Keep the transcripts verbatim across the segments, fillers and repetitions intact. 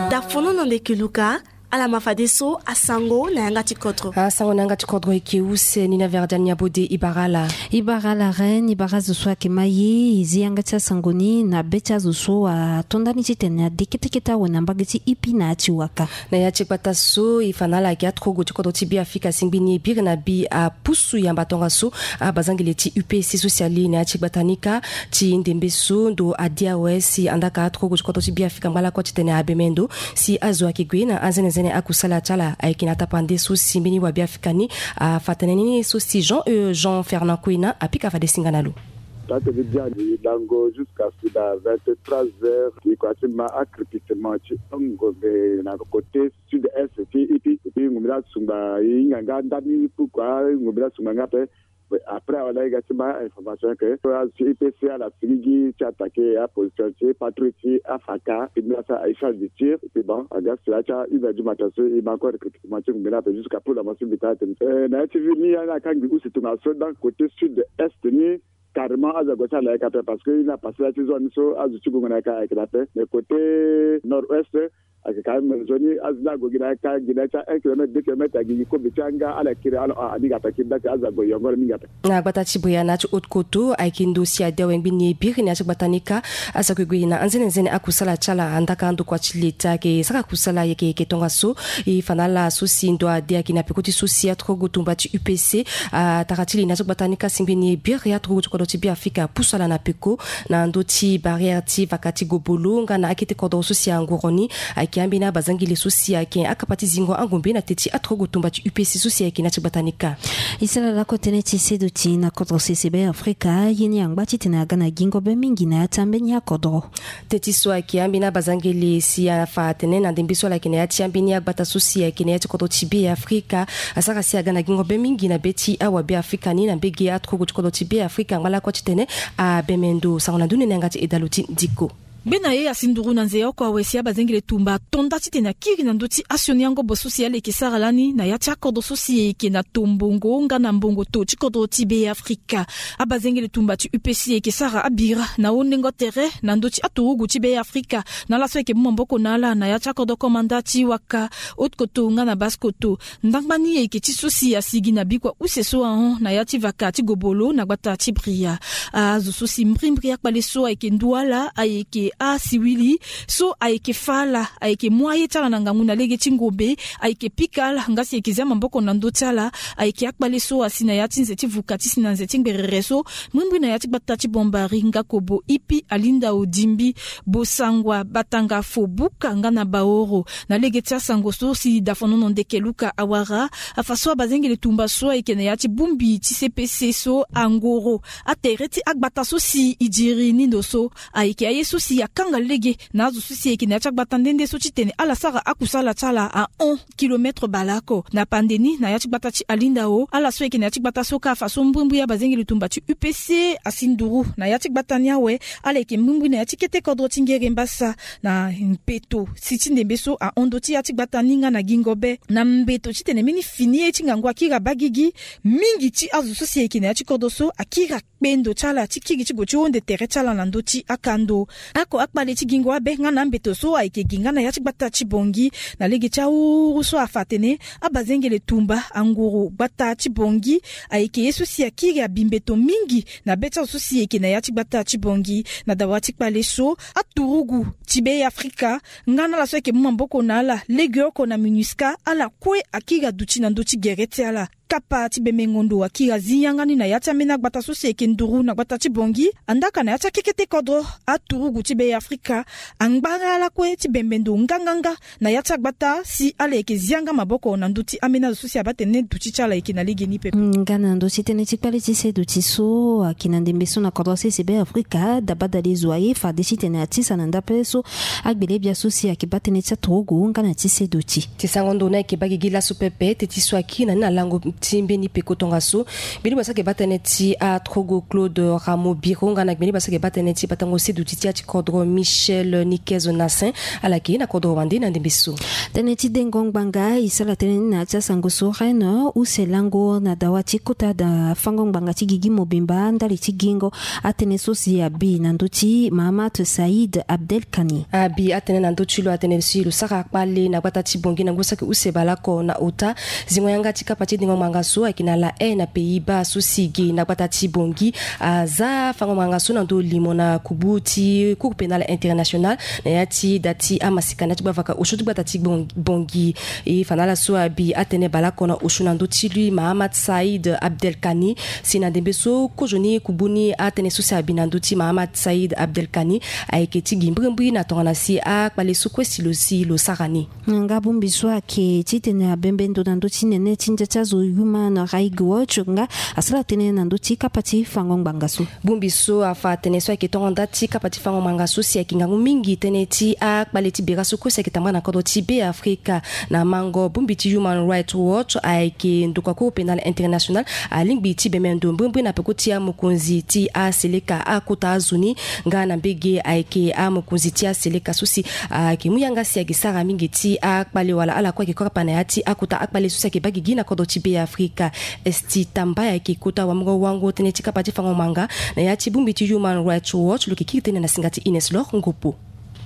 Dafono na ndeke luka. Ala ma fadeso asango na yanga ti kodro. Asango na yanga ti kodro eke use ni na verdiani abode. Ibara ala. Ibara ala reine, ibara azo so ayeke ma ye e zi yanga ti asango ni na be ti azo so ato ndani titene ade kete kete awe na mbage ti ipi na ya ti waka. Na ya ti gbata so e fa na ala ayeke aturugu ti kodro ti Beafrika asingbi ni e biri na bi apusu yamba tongaso abazangele ti U P C so si ali na ya ti gbata ni kâ. Ti ndembe so ndo ade awe si andaka aturugu ti kodro ti Beafrika ngba lakue titene abembe ndo si azo ayeke gue na anzenenzene akusala ti ala ayeke na tapande so si mbeni wa Beafrika ni afa tënë ni so si Jean, euh, Jean Fernand Kwena apika fade singa na lo. Taa tene biani lango jusqu'à si na vingt-trois heures ti kua ti ma akripitement ti ngombe na côté sud-est ti ipi. Epi ngombe ni asungba e hinga nga ndani pourquoi ngombe ni asungba nga ape. Après wala e ga ti ma information ke azo ti I P C ala sigi gi ti attaquer aposition ti patrouille ti afaka. Epi mbeni asa échange de tir epi bon aga si la ti une heure du matin so e ma encore recrutement ti ngombe ni ape jusqu'à pour la motion mbi taa tene na ya ti ville ni ya ni akangbi use tongaso dans côté sud-est ni. Carrément azo ague ti ala yaka ape parce que e na passé la ti zone ni so azo ti gongo na yaka ayeke na ape mais côté nord-ouest ayeke quand même zone ni azo ni ague gi na yaka gi na ya ti un kilomètre deux kilomètres agi gi kobe ti anga ala kiri ala a ni ga ape kiri dati azo ague yongoro mingi ape. Na gbata ti bria na ya ti haute koto ayeke ndo si ade awe ngbi ni e biri na ya ti gbata ni kâ. Azo ayeke gue na anzenenzene akusala ti ala andaka ndokua ti leta ayeke sara kusala yeke yeke tongaso. E fa na ala so si ndo ade ayeke na peko ti so si aturugu tumba ti U P C atara ti li na ya ti gbata ni kâ asingbi ni e biri aturugu ti kodro ti Beafrika apusu ala na peko na ndö ti barrière ti vaka ti gobolo nga na akete kodro so si angoro ni. Ayeke ambeni abazangele so si ayeke akapa ti zingo angombe na te ti aturugu tumba ti U P C so si ayeke na ya ti gbata ni kâ. E sara lakue tënë ti seduti na kodro sese Beafrika ye ni angba titene aga na gingo be mingi na ya ti ambeni akodro. Te ti so ayeke ambeni abazangele si afa atene na ndembe so ala yeke na ya ti ambeni agbata so si ayeke na ya ti kodro ti Beafrika asara si aga na gingo be mingi na be ti awa Beafrika ni na mbege aturugu ti kodro ti Beafrika ngba lakue titene abembe ndo. Sango na ndö ni na yanga ti edalo ti ndiko. Ngbene ye asi nduru na nze oko awe si abazengele tumba ato nda titene akiri na ndö ti asioni angobo so si ala yeke sara lani na ya ti akodro so si e yeke na tombongo nga na mbongo to ti kodro ti Beafrika. Abazengele tumba ti U P C e yeke sara abira na hundengo tere na ndö ti aturugu ti Beafrika na ala so ayeke mu maboko na ala na ya ti akodro komanda ti waka haute koto nga na basse koto. Ndangba ni e yeke ti so si asigi na bikua use so ahon na ya ti vaka ti gobolo na gbata ti bria. Azo so si mbrimbri akpale so ayeke ndu ala ayeke asiwili so ayeke fa ala ayeke mu aye ti ala na ngangu na lege ti ngombe. Ayeke pika ala nga si e yeke zia maboko na ndö ti ala. Ayeke akpale so asi na ya ti nze ti vuka ti si na nze ti ngberere so mbrimbri na ya ti gbata ti bombari nga kobo ipi alinda odimbi bosangwa batanga fo buka nga na baoro. Na lege ti asango so si dafonono ndeke luka awara afa so abazengele tumba so ayeke na ya ti bongbi ti C P C so angoro atere ti agbata so si e diri ni ndo so ayeke aye so si akanga lege na azo so si ayeke na ya ti agbata nde nde so titene ala sara akusala ti ala ahon kilometre baleoko na pande ni na ya ti gbata ti alindao ala so ayeke na ya ti gbata so kâ afa so mbrimbri abazengele tumba ti U P C asi nduru na ya ti gbata ni awe. Ala yeke mbrimbri na ya ti kete kodro ti ngere mbasa na mbeto si ti ndembe so ahon ndö ti ya ti gbata ni nga na gingo be na mbeto titene mbeni fini ye ti ngangu akiri abagigi. Mingi ti azo so si ayeke na ya ti kodro so akiri akpe ndo ti ala ti kiri ti gue ti hunde tere ti ala na ndö ti akando. Ako akpale ti gingo abe nga na ambeto so ayeke gi nga na ya ti gbata ti bongi na lege ti awuru so afa atene abazengele tumba anguru gbata ti bongi ayeke ye so si akiri abi mbeto mingi na be ti azo so si e yeke na ya ti gbata ti bongi. Na dawa ti kpale so aturugu ti Beafrika nga na ala so ayeke mu maboko na ala legeoko na minusca ala kue akiri aduti na ndö ti gere ti ala. Kapa ti bembengo ndo akiri azi yanga ni na ya ti ambeni agbata so si e yeke nduru na gbata ti bongi andaka na ya ti akekete kodro aturugu ti Beafrika angba nga ala kue ti bembe ndo nganganga na ya ti agbata si ala yeke zi yanga maboko na ndö ti ambeni azo so si abaa tene duti ti ala yeke na legeni pepe. Nga na ndö ti tënë ti kpale ti seduti so ayeke na ndembe so na kodro sese Beafrika dabadale zo aye fade titene atisa na ndape so agbele bia so si ayeke baa tënë ti aturugu nga na ti seduti. Ti sango ndo ni ayeke baa gigi laso pepe te ti so akiri na ni na lango Ti mbeni peko tongaso, gbeni basa ke baa tënë ti atrogo Claude Rameau Biro nga na gbeni basa ke baa tënë ti batango seduti ti ati kodro Michel Niquez Nassin. Ala yeke na kodro wande na ndembe so. Tënë ti dengo ngbanga e sara tënë ni na ya ti asango so Rennes use lango na dawa ti kota da fango ngbanga ti gigi mobimba ndali ti gingo. Atënë so si abi na ndö ti Mahamat Saïd Abdelkani. Abi atënë na ndö ti lo atene si lo sara kpale na gbata ti Bangui na ngu saki use baleoko na ota. Zingo yanga ti kapa ti dengo ngbanga so ayeke na La Haye na Pays-Bas so si ge na gbata ti Bangui aza fango ngbanga so na ndö limo na kubu ti Cour pénale internationale na ya ti da ti amasika na ya ti gbavaka osio ti gbata ti Bangui. E fa na ala so abi atënë baleoko na osio na ndö ti lui Mahamat Saïd Abdelkani. Si na ndembe so kozoni kubu ni atënë so si abi na ndö ti Mahamat Saïd Abdelkani ayeke ti gi mbirimbiri na tongana si akpale so kue si lo si lo sara ni. Nga bongbi so ayeke titene abembe ndo na ndö ti nene ti ndia ti azo Human Rights Watch nga asara tënë na ndö ti kapa ti fango ngbanga so. Bongbi so afa tënë so ayeke tongo nda ti kapa ti fango ngbanga so si ayeke ngangu mingi tënë ti akpale ti bera so kue si ayeke tambara na kodro ti Be Afrika. Na mango bongbi ti Human Rights Watch ayeke ndokua Cour pénale internationale alingbi ti bembe ndo mbirimbiri na peko ti amokonzi ti aseleka akota azo ni. Nga na mbege ayeke amokonzi ti aseleka so si ayeke mu yanga si ayeke sara mingi ti akpale wala ala kue ayeke kapa na ya ti akota akpale so si ayeke baa gigi na kodro ti Be Afrika. Esti Tambay ayeke kota wamungo wango tënë ti kapa ti fango ngbanga na ya ti bongbi ti Human Rights Watch lo yeke kiri tënë na singa ti Ines Lor Ngopo.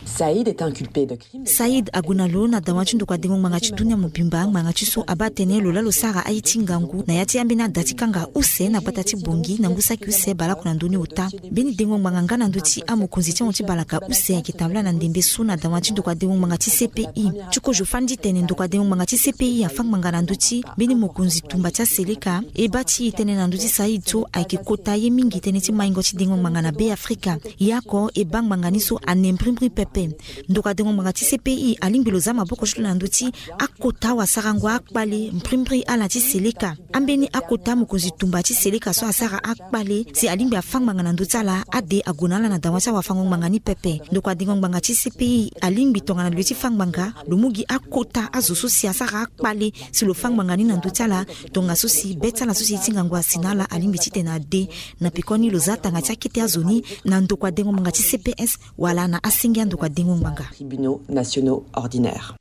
Saïd est inculpé de crime. Saïd ague na lo na dawa ti ndokua dengo ngbanga ti dunia mobimba ngbanga ti so abaa tënë lo laa lo sara aye ti ngangu na ya ti ambeni ada ti kanga use na gbata ti Bangui na ngu saki use baleoko na ndö ni ota. Mbeni dengo ngbanga nga na ndö ti amokonzi ti ahon ti balaka use ayeke tambula na ndembe so na dawa ti ndokua dengo ngbanga ti C P I. Ti kozo fani ti tene ndokua dengo ngbanga ti C P I afâ ngbanga na ndö ti mbeni mokonzi tumba ti aseleka e baa ti e tënë na ndö ti Saïd so ayeke kota ye mingi tënë ti maingo ti dengo ngbanga na Be Afrika. Ye oko e baa ngbanga ni so ane mbirimbiri pepe. Ndokua dengo ngbanga ti C P I alingbi lo za maboko ti lo na ndö ti akota wasarango akpale mbirimbiri ala ti seleka. Ambeni akota mokonzi tumba ti seleka so asara akpale si alingbi afâ ngbanga na ndö ti ala ade ague na ala na dawa ti awafango ngbanga ni pepe. Ndokua dengo ngbanga ti C P I alingbi tongana lo ye ti fâ ngbanga lo mu gi akota azo so si asara akpale si lo fâ ngbanga ni na ndö ti ala. Tongaso si be ti ala so si ye ti ngangu asi na ala alingbi titene ade na pekoni lo za tanga ti akete azo ni na ndokua dengo ngbanga ti C P S wala na asenge andokua dengo ngbanga. Tribunaux nationaux ordinaires.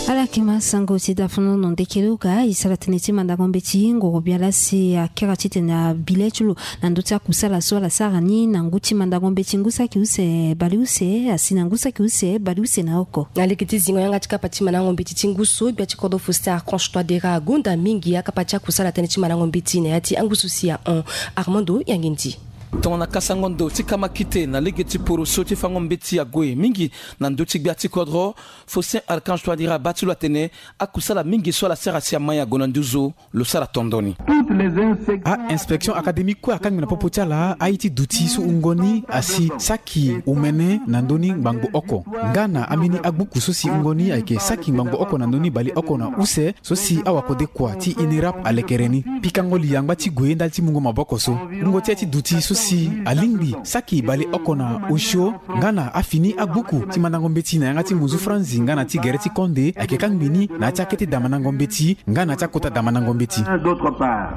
Ala yeke ma sango ti dafunu no ndeke luka e sara tënë ti mandango mbeti ngoro biala si akiri titene abi le ti lo na ndö ti akusala so ala sara ni na ngu ti mandango mbeti ngu saki use baleuse asi na ngu saki use baleuse na oko. Na lege ti zingo yanga ti kapa ti mandango mbeti ti ngu so gbia ti kodro Faustin Archange Touadéra agonda mingi akapa ti akusala tënë ti mandango mbeti na ya ti angu so si ahon. Armando Yangendi. Tongana kasango ndo ti kamakite na lege ti poroso ti fango mbeti ague mingi na ndö ti gbia ti kodro, Faustin Archange Touadéra abaa ti lo atene akusala mingi so ala sara si amai ague na nduzu lo sara tondo ni. A-inspection académique kue akangbi na popo ti ala aye ti duti so wungo ni asi saki omene na ndö ni ngbangbo oko nga na ambeni agbuku so si wungo ni ayeke saki ngbangbo oko na ndö ni baleoko na use so si awakodekua ti INERAP alekere ni. Pikango li angba ti gue ndali ti mungo maboko so. Wungo ti aye ti duti so si alingbi saki baleoko na osio nga na afini agbuku ti mandango mbeti na yanga ti munzu franzi nga na ti gere ti konde ayeke kangbi ni na ya ti akete damandango mbeti nga na ya ti akota damandango mbeti.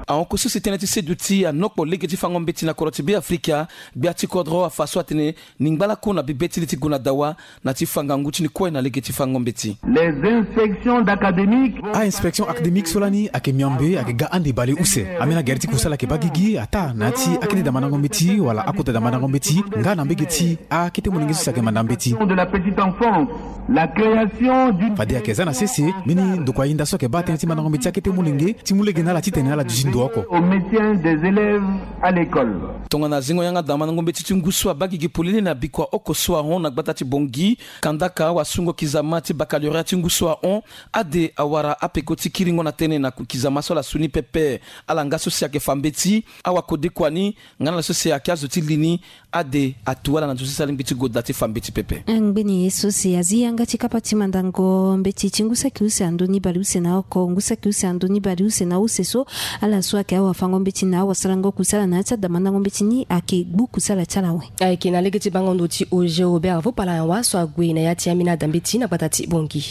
Ahon oko so si tënë ti seduti anokpo lege ti fango mbeti na kodro ti Be Afrika, gbia ti kodro afa so atene ni ngbalako na bibe ti li ti gue na dawa na ti fa ngangu ti ni kue na lege ti fango mbeti. Les inspections d'académiques. A-inspection académique so lani ayeke miambe ayeke ga ande baleuse. Ambeni agere ti kusala ayeke baa gigi ataa na ya ti akete damandango mbeti wala akota damandango mbeti nga na mbege ti akete molenge so si ayeke manda mbeti. De la petite enfance, la création d'une. Fade ayeke za na sese mbeni ndokua yinda so ayeke baa tënë ti mandango mbeti akete molenge ti mu lege na ala titene ala duti ndo oko. Au maintien des élèves à l'école. Tongana zingo yanga damandango mbeti ti ngu so abaa gigi polele na bikua oko so ahon na gbata ti Bangui, kandaka awasungo kizama ti baccalauréat ti ngu so ahon, ade awara apeko ti kiringo na tënë na kizama so ala su ni pepe. Ala nga so si ayeke fa mbeti, awakodekua ni nga na ala so si ayeke azo ti li ni, ade atu ala na ndo so si alingbi ti gue daa ti fa mbeti pepe. Ngbeni ye so si azi yanga ti kapa ti mandango mbeti ti ngu saki use na ndö ni baleuse na oko, ngu saki use na ndö ni baleuse na use so, ala so ayeke awafango mbeti na awasarango kusala na ya ti adamandango mbeti ni ayeke gbu kusala ti ala awe. Ayeke na lege ti bango ndo ti Auger Robert Vopala Yawa so ague na ya ti ambeni ada mbeti na gbata ti Bangui.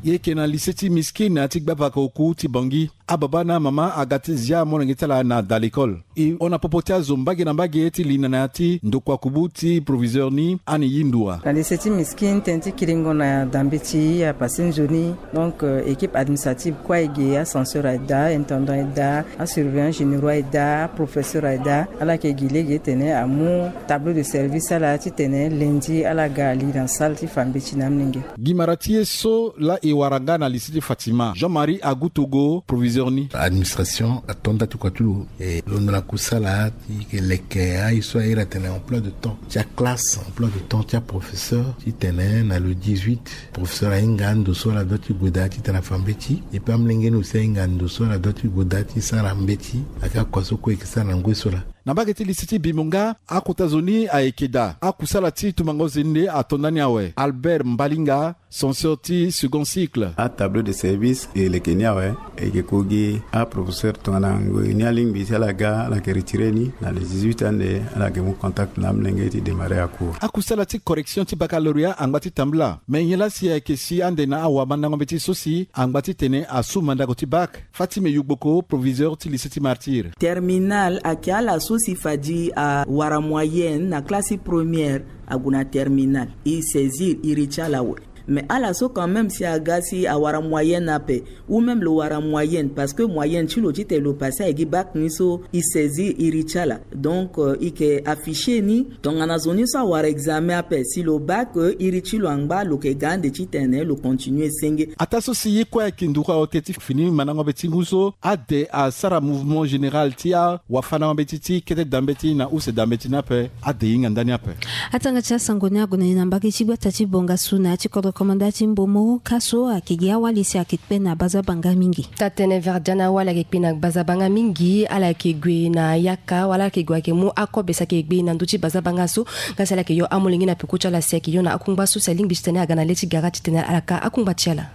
Ye yeke na lycée ti Miskine ti gbavaka oku ti Bangui. Ababa na amama aga ti zia amolenge ti ala na da lekole. E hon na popo ti azo mbage na mbage ti linda na ya ti ndokua kubu ti proviseur ni ani yi nduwa. Na lycée ti Miskine, tënë ti kiringo na da mbeti apassé nzoni. Donc, euh, équipe administrative kue aye ge, ascenseur aye daa, intendant aye daa, asurveillant généraux aye daa, aprofesseur aye daa. Ala yeke gi lege titene amu tableau de service ala titene lundi ala ga ali na salle ti fa mbeti na amolenge. Gi mara ti ye so laa e wara nga na lycée ti Fatima, Jean-Marie Agutogo, proviseur ni. Administration ato nda ti kua ti lo, e londo na kusala ti yeke leke aye so airi atene emploi de temps ti aclasse, emploi de temps ti aprofesseur, titene na le dix-huit, professeur ahinga ndo so ala doit ti gue daa titene afa mbeti, et puis amolenge ni aussi ahinga ndo so ala doit ti gue daa ti sara mbeti, ayeke akua so kue e yeke sara na ngoi so laa. Na mbage ti lycée ti Bimonga, akota zo ni ayeke daa. Akusala ti tumango zende ato ndani awe. Albert Mbalinga, censeur ti second cycle. Atableau de service e leke ni awe, e yeke ko gi aprofesseur tongana ngoi ni alingbi si ala ga, ala yeke retire ni na le dix-huit ande, ala yeke mu contact na amolenge ti démarrer acours. Akusala ti correction ti baccalauréat angba ti tambula. Me nyen laa si ayeke si ande na awamandango mbeti so si angba titene asu mandako ti bac? Fatime Yugboko, proviseur ti lycée ti Martyr. Terminal ayeke ala so si fadi awara moyenne na classe ti première, ague na terminal, e saisir iri ti ala awe. Mais ala so quand même si aga si awara moyenne ape, ou même lo wara moyenne, parce que moyenne ti lo titene lo passé aye gi bac ni so, e saisir iri ti ala. Donc, euh, e yeke afficher ni tongana zo ni so awara examen ape, si lo bac, euh, iri ti lo angba, lo yeke ga ande titene lo continuer senge. Ataa so si ye kue ayeke nduru awe ti fini mandango be ti ngu so, ade asara mouvement général ti awafandango mbeti ti kete da mbeti na use da mbeti ni ape, ade e hinga ndani ape. Atanga ti asango ni ague na ni na mbage ti gbata ti Bongasu na ya ti kodro komanda ti Mbomo, ka so ayeke gi awali si ayeke kpe na bazabanga mingi. Taa tënë Verdiane, awali ayeke kpe na bazabanga mingi, ala yeke gue na yaka wala ala yeke gue ayeke mu akobe si ayeke gbe na ndö ti bazabanga so, nga si ala yeke yo amolenge na peko ti ala si ayeke yo na akungba so si alingbi titene aga na le ti gara titene ala ka akungba ti ala.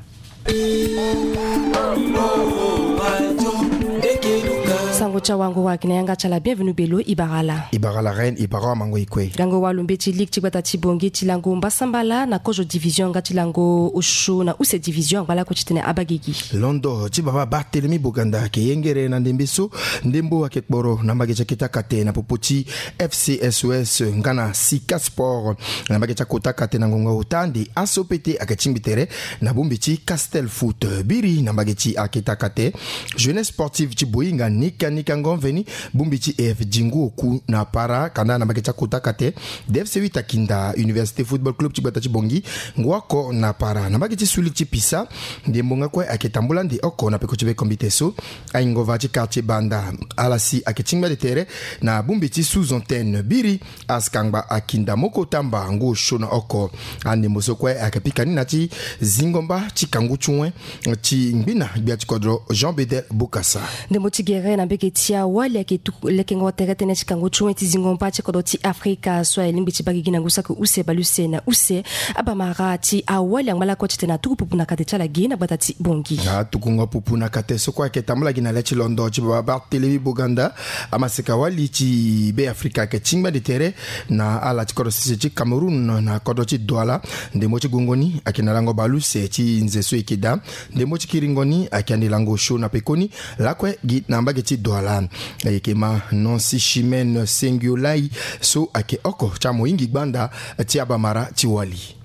Sango ti awango wara gi na yanga ti ala, bienvenu belo, e bara ala. E bara ala reine, e bara amango e kue. Gango walo mbeti ligue ti gbata ti Bongi ti lango mbasambala na kozo division nga ti lango osio na use division angba lakue titene abaa gigi. Londo ti baba Barthélemy Boganda ayeke yengere na ndembe so, ndembo ayeke kporo na mbage ti akete akate na popo ti F C S O S nga na Sika Sport. Na mbage ti akota akate na ngonga ota ande aso pete ayeke tingbi tere na bongbi ti Castel Foot. Biri na mbage ti akete akate, Jeunesse Sportive ti Boinga nika nika ngo mveni bongbi ti E F G ngu oku na para. Kanda na mbage ti akota akate, D F C huit akinda Université Football Club ti gbata ti Bongi ngu oko na para. Na mbage ti suli ti pisa, ndembo nga kue ayeke tambula ande oko na peko ti be kombite so. Aingova ti quartier Banda, ala si ayeke tingbi ande tere na bongbi ti sous-antenne. Biri Askangba akinda moko tamba ngu osio na oko. Andembo so kue ayeke pika ni na ti zingo mba ti kangu ti wen ti ngbina gbia ti kodro Jean Bedel Bokassa. Ndembo ti gere na mbage ti awali ayeke tuku lekengo tere tënë ti kangu ti wen ti zingo mba ti kodro ti Afrika so alingbi ti baa gigi na ngu saki use bale use na use. Abamara ti awali angba lakue titene atuku pupu na kate ti ala ge na gbata ti Bongi. Atukungo pupu na kate so kue ayeke tambula gi na le ti londo ti baba Barthélemy Boganda. Amaseka wali ti Be Afrika ayeke tingbi ande tere na ala ti kodro sese ti Cameroun na kodro ti Douala. Ndembo ti gongo ni ayeke na lango bale use ti nze so e yeke daa. Ndembo ti kiringo ni ayeke ande lango osio na pekoni lakue gi na mbage ti Douala. E yeke ma Nancy Chimène Sengiolai so ayeke oko ti amohingi gbanda ti abamara ti wali.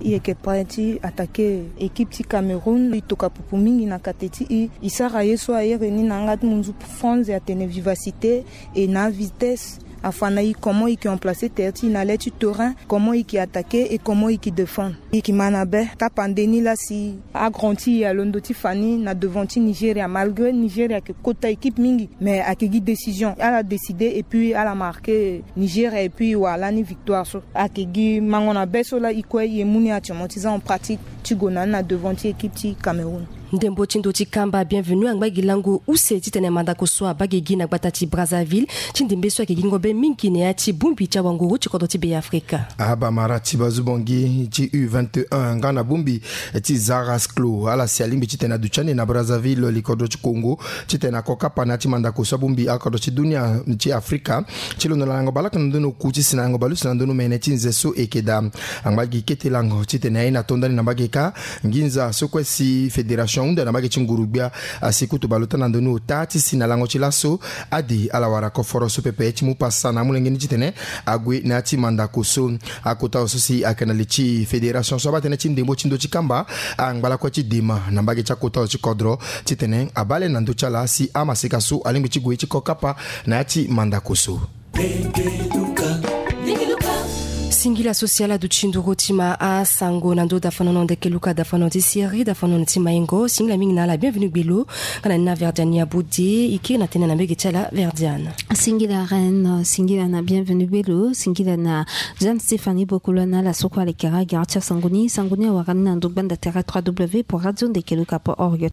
E yeke prêt ti attaquer équipe ti Cameroun. E tokua pupu mingi na kate ti e. E sara ye so airi ni na yanga ti munzu franze atene vivacité et na vitesse. Afa na e comment e yeke remplacer tere ti e na le ti terrain, comment e yeke attaquer et comment e yeke défendre. E yeke ma na be tapande ni laa si agrand ti e alondo ti fa ni na devant ti Nigeria, malgré Nigeria ayeke kota équipe mingi, mais ayeke gi décision. Ala décider et puis ala marquer Nigeria et puis e wara lani victoire so. Ayeke gi mango na be so laa e kue e mu ni actuellement ti za en pratique ti gue na ni na devant ti équipe ti Cameroun. Ndembo ti ndo ti kamba bienvenu angba gi lango use titene mandako so abaa gigi na gbata ti Brazzaville ti ndembe so ayeke gi ngobe mingi na ya ti bongbi ti awanguru ti kodro ti Be Afrika. Abamara ti bazu bongi ti U vingt et un nga na bongbi ti Zara Sclo ala si alingbi titene aduti ande na Brazzaville li kodro ti Congo titene ako kapa na ya ti mandako so abongbi akodro ti dunia ti Afrika ti londo na lango balaka na ndoni oku ti si na lango balusi na ndoni omene ti nze so eke daa. Angba gi kete lango titene aye na to ndani na mbage kâ nginza so kue si fédération ahunda na mbage ti nguru-gbia asi kutu baleota na ndoni ota ti si na lango ti laso ade ala wara koforo so pepe ti mu pasa na amolenge ni titene ague na ya ti mandako so. Akota zo so si ayeke na li ti fédération so abaa tënë ti ndembo ti ndo ti kamba angba lakue ti dema na mbage ti akota zo ti kodro titene abaa le na ndö ti ala si amaseka so alingbi ti gue ti ko kapa na ya ti mandako so. Singila so si ala duti nduru ti ma asango na ndö dafanono ndeke luka dafanono ti siri dafanono ti maingo. Singila mingi na ala bienvenu gbelo. Nga na ni na Verdiane Abode e kiri na tënë na mbege ti ala Verdiane. Singila reine, singila na bienvenu gbelo, singila na Jeanne Stéphanie Bokolo na ala so kue alekera agara ti asango ni. Sango ni awara ni na ndo gbanda tere trois W point radio ndeke luka point org.